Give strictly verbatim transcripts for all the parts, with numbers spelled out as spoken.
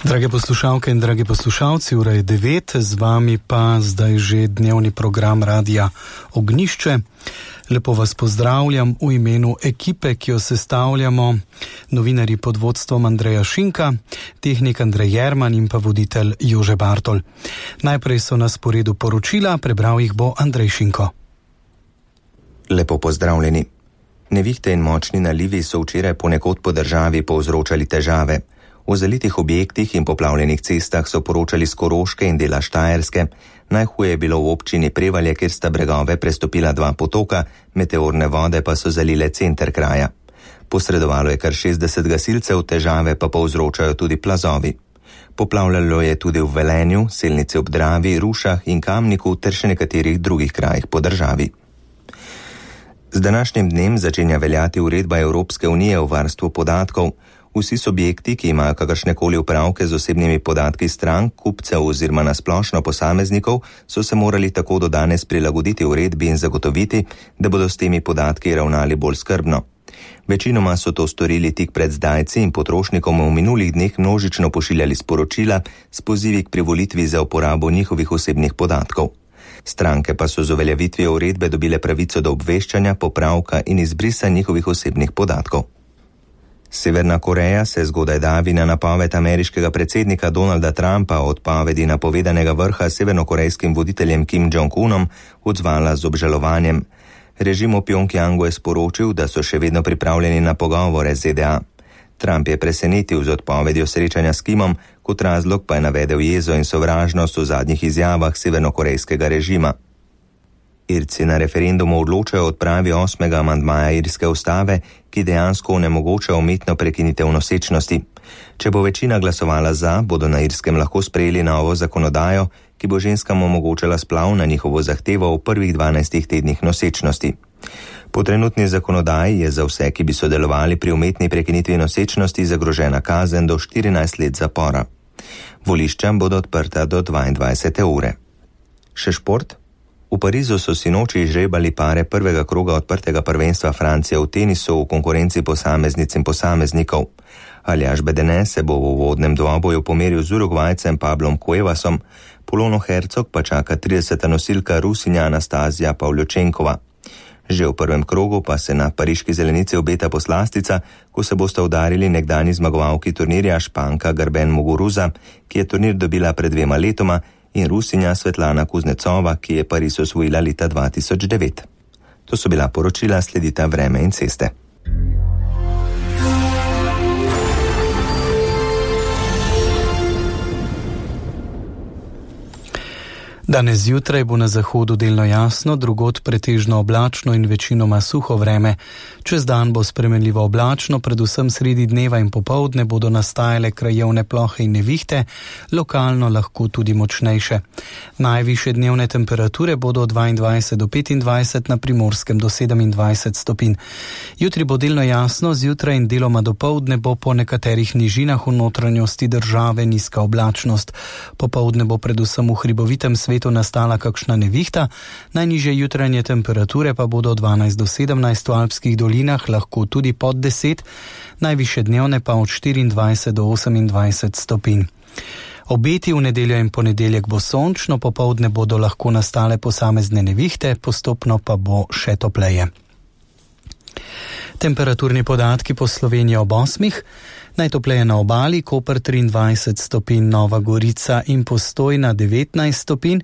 Drage poslušalke in dragi poslušalci, ura je devet, z vami pa zdaj že dnevni program Radia Ognjišče. Lepo vas pozdravljam v imenu ekipe, ki jo sestavljamo, novinarji pod vodstvom Andreja Šinka, tehnik Andrej Jerman in pa voditelj Jože Bartol. Najprej so na sporedu poročila, prebral jih bo Andrej Šinko. Lepo pozdravljeni. Nevihte in močni nalivi so včeraj ponekod po državi povzročali težave. V zalitih objektih in poplavljenih cestah so poročali s Koroške in dela Štajerske. Najhuje je bilo v občini Prevalje, kjer sta bregove prestopila dva potoka, meteorne vode pa so zalile center kraja. Posredovalo je kar šestdeset gasilcev, težave pa povzročajo tudi plazovi. Poplavljalo je tudi v Velenju, Selnici ob Dravi, Rušah in Kamniku ter še nekaterih drugih krajih po državi. Z današnjim dnem začenja veljati uredba Evropske unije o varstvu podatkov. Vsi subjekti, ki imajo kakršnekoli upravke z osebnimi podatki strank, kupcev oziroma nasplošno posameznikov, so se morali tako do danes prilagoditi uredbi in zagotoviti, da bodo s temi podatki ravnali bolj skrbno. Večinoma so to storili tik pred zdajci in potrošnikom v minulih dneh množično pošiljali sporočila s pozivi k privolitvi za uporabo njihovih osebnih podatkov. Stranke pa so z uveljavitvijo uredbe dobile pravico do obveščanja, popravka in izbrisa njihovih osebnih podatkov. Severna Koreja se zgodaj davi na napoved ameriškega predsednika Donalda Trumpa o odpovedi napovedanega vrha s severnokorejskim voditeljem Kim Jong-unom odzvala z obžalovanjem. Režim v Pjongjangu je sporočil, da so še vedno pripravljeni na pogovore z Z D A. Trump je presenetil z odpovedjo srečanja s Kimom, kot razlog pa je navedel jezo in sovražnost v zadnjih izjavah severnokorejskega režima. Irci na referendumu odločajo o odpravi osmega amandmaja irske ustave, ki dejansko onemogoča umetno prekinitev nosečnosti. Če bo večina glasovala za, bodo na Irskem lahko sprejeli novo zakonodajo, ki bo ženskam omogočala splav na njihovo zahtevo v prvih dvanajstih tednih nosečnosti. Po trenutni zakonodaji je za vse, ki bi sodelovali pri umetni prekinitvi nosečnosti, zagrožena kazen do štirinajst let zapora. Volišča bodo odprta do dvaindvajsete ure. Še šport? V Parizu so sinoči izžrebali pare prvega kroga odprtega prvenstva Francije v tenisu v konkurenci posameznic in posameznikov. Aljaž Bedene se bo v uvodnem dvoboju pomeril z Urugvajcem Pablom Cuevasom, Polono Hercog pa čaka trideseta nosilka Rusinja Anastazija Pavljočenkova. Že v prvem krogu pa se na pariški zelenici obeta poslastica, ko se bosta udarili nekdanji zmagovalki turnirja Španka Garben Muguruza, ki je turnir dobila pred dvema letoma, in Rusinja Svetlana Kuznecova, ki je Pariz osvojila leta dva tisoč devet. To so bila poročila, sledita vreme in ceste. Danes zjutraj bo na zahodu delno jasno, drugod pretežno oblačno in večinoma suho vreme. Čez dan bo spremenljivo oblačno, predvsem sredi dneva in popoldne bodo nastajale krajevne plohe in nevihte, lokalno lahko tudi močnejše. Najvišje dnevne temperature bodo od dvaindvajset do petindvajset, na Primorskem do sedemindvajset stopinj. Jutri bo delno jasno, zjutraj in deloma dopoldne bo po nekaterih nižinah v notranjosti države nizka oblačnost. Popoldne bo predvsem v hribovitem svetu nastala kakšna nevihta, najnižje jutranje temperature pa bodo dvanajst do sedemnajst, v alpskih dolinah lahko tudi pod deset, najvišje dnevne pa od štiriindvajset do osemindvajset stopinj. Obeti v nedeljo in ponedeljek bo sončno, popoldne bodo lahko nastale posamezne nevihte, postopno pa bo še topleje. Temperaturni podatki po Sloveniji ob osmih. Najtopleje na obali, Koper triindvajset stopinj, Nova Gorica in Postojna devetnajst stopinj,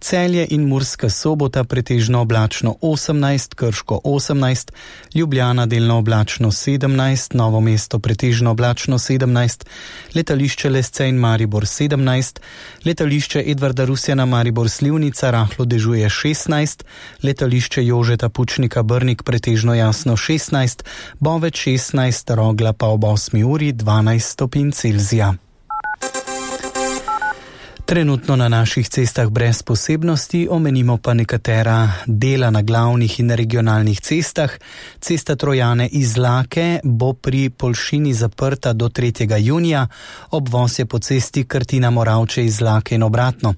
Celje in Murska Sobota pretežno oblačno osemnajst, Krško osemnajst, Ljubljana delno oblačno sedemnajst, Novo mesto pretežno oblačno sedemnajst, letališče Lesce in Maribor sedemnajst, letališče Edvarda Rusjana Maribor Slivnica rahlo dežuje šestnajst, letališče Jožeta Pučnika Brnik pretežno jasno šestnajst, Bovec šestnajst, Rogla pa ob osmi uri dvanajst stopinj Celzija. Trenutno na naših cestah brez posebnosti, omenimo pa nekatera dela na glavnih in regionalnih cestah. Cesta Trojane iz Lake bo pri Poljšini zaprta do tretjega junija, obvoz je po cesti Krtina Moravče iz Lake in obratno.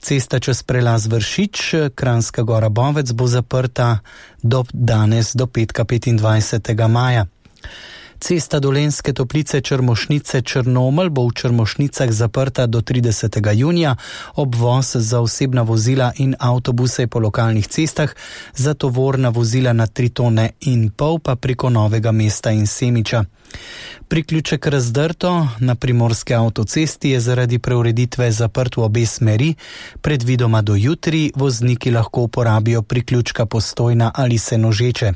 Cesta čez prelaz Vršič, Kranjska Gora Bovec bo zaprta do danes do petka petindvajsetega maja. Cesta Dolenjske Toplice Črmošnice Črnomelj bo v Črmošnicah zaprta do tridesetega junija, obvoz za osebna vozila in avtobuse po lokalnih cestah, za tovorna vozila na tri tone in pol pa preko Novega Mesta in Semiča. Priključek Razdrto na primorske avtocesti je zaradi preureditve zaprt v obe smeri, predvidoma do jutri vozniki lahko uporabijo priključka Postojna ali Senožeče.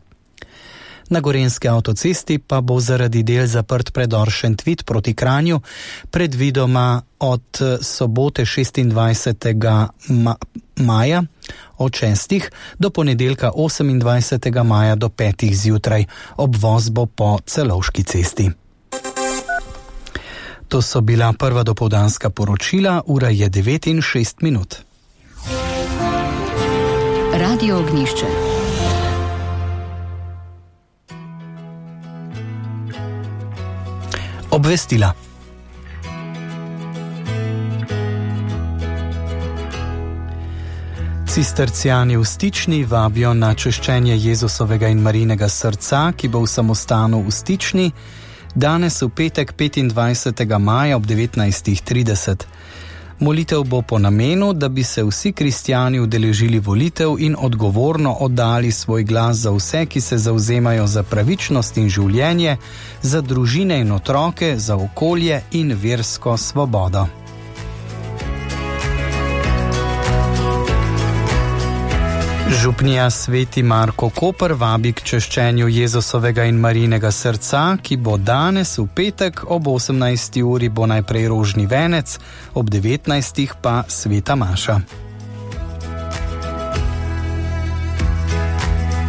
Na gorenjski avtocesti pa bo zaradi del zaprt predor Šentvid proti Kranju, predvidoma od sobote šestindvajsetega maja od šestih do ponedeljka osemindvajsetega maja do petih zjutraj. Obvoz bo po Celovški cesti. To so bila prva dopoldanska poročila, ura je devet in šest minut. Radio Ognjišče. Obvestila. Cistercijani v Stični vabijo na češčenje Jezusovega in Marijinega srca, ki bo v samostanu v Stični danes v petek petindvajsetega maja ob devetnajstih trideset. Molitev bo po namenu, da bi se vsi kristjani udeležili volitev in odgovorno oddali svoj glas za vse, ki se zavzemajo za pravičnost in življenje, za družine in otroke, za okolje in versko svobodo. Župnija Sveti Marko Koper vabi k češčenju Jezusovega in Marijinega srca, ki bo danes v petek ob osemnajsti uri bo najprej rožni venec, ob devetnajstih pa sveta maša.